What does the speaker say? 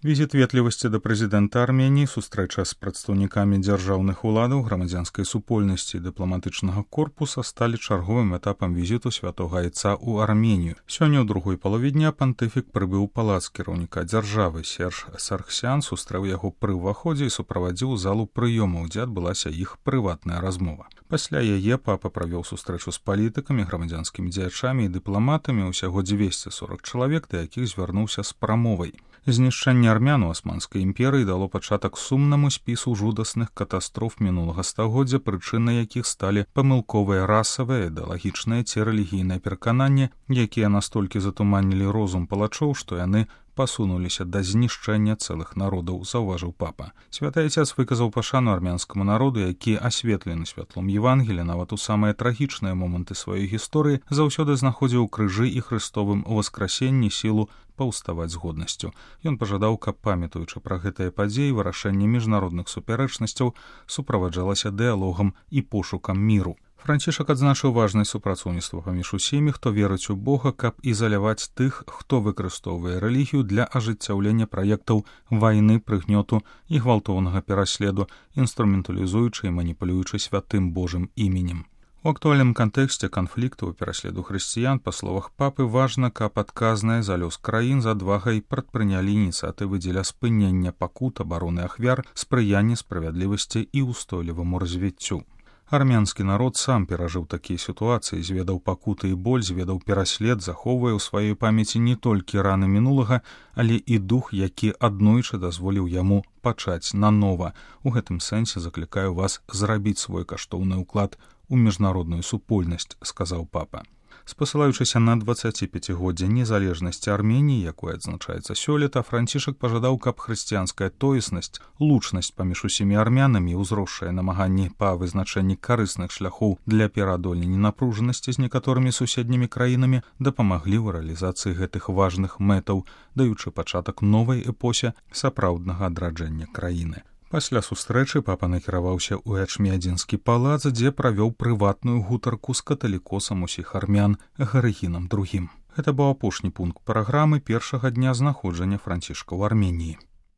Візіт ветлівасці да прэзідэнта Арменіі, сустрэча з прадстаўнікамі дзяржаўных уладаў, грамадзянскай супольнасці і дыпламатычнага корпуса сталі чарговым этапам візіту святога айца ў Арменію. Сёння ў другой палове дня пантыфік прыбыў у палац кіраўніка дзяржавы. Серж Саргсян сустрэў яго пры ўваходзе і суправадзіў залу прыёмаў, дзе адбылася іх прыватная размова. Пасля яе папа правёў сустрэчу з палітыкамі, грамадзянскімі дзеячамі і дыпламатамі, усяго 240 чалавек, да якіх звярнуўся з прамовай. Знішчэнне армян у Асманскай імперыі дало пачатак сумнаму спісу жудасных катастроф мінулага стагоддзя, прычынай якіх сталі памылковыя расавыя, ідэалагічныя ці рэлігійныя перакананні, якія настолькі затуманілі розум палачоў, што яны пасунуліся да знішчэння цэлых народаў, заўважыў папа. Святы айцец выказаў пашану армянскаму народу, які асветлены святлом Евангелія, нават у самыя трагічныя моманты сваёй гісторыі заўсёды знаходзіў у крыжы і хрыстовым уваскрасенні сілу паўставаць з годнасцю. Ён пажадаў, каб, памятаючы пра гэтыя падзеі, вырашэнне міжнародных супярэчнасцяў суправаджалася дыялогам і пошукам міру. Францішак адзначыў важнасць супрацоўніцтва паміж усімі, хто верыць у Бога, каб ізаляваць тых, хто выкарыстоўвае рэлігію для ажыццяўлення праектаў вайны, прыгнёту і гвалтоўнага пераследу, інструменталізуючы і маніпулюючы святым Божым іменем. У актуальным кантэксце канфлікту і пераследу хрысціян, па словах папы, важна, каб адказныя за лёс краін з адвагай прадпрынялі ініцыятывы дзеля спынення пакут, абароны ахвяр, спрыяння справядлівасці і ўстойліваму развіццю. Армянскі народ сам перажыў такія сітуацыі, зведаў пакуты і боль, зведаў пераслед, захоўвае ў сваёй памяці не толькі раны мінулага, але і дух, які аднойчы дазволіў яму пачаць нанова. У гэтым сэнсе заклікаю вас зрабіць свой каштоўны ўклад у міжнародную супольнасць, сказаў папа. Спасылаючыся на 25годдзе незалежнасці Арменіі, якое адзначаецца сёлета, Францішак пажадаў, каб хрысціянская тоеснасць, лучнасць паміж усімі армянамі і ўзросшыя намаганні па вызначэнні карысных шляхоў для пераадолення напружанасці з некаторымі суседнімі краінамі дапамаглі ў рэалізацыі гэтых важных мэтаў, даючы пачатак новай эпосе сапраўднага адраджэння краіны. Пасля сустрэчы папа накіраваўся ў Эчміадзінскі палац, дзе правёў прыватную гутарку з каталікосам усіх армян Гарыгінам II. Гэта быў апошні пункт праграмы першага дня знаходжання Францішка ў Арменіі.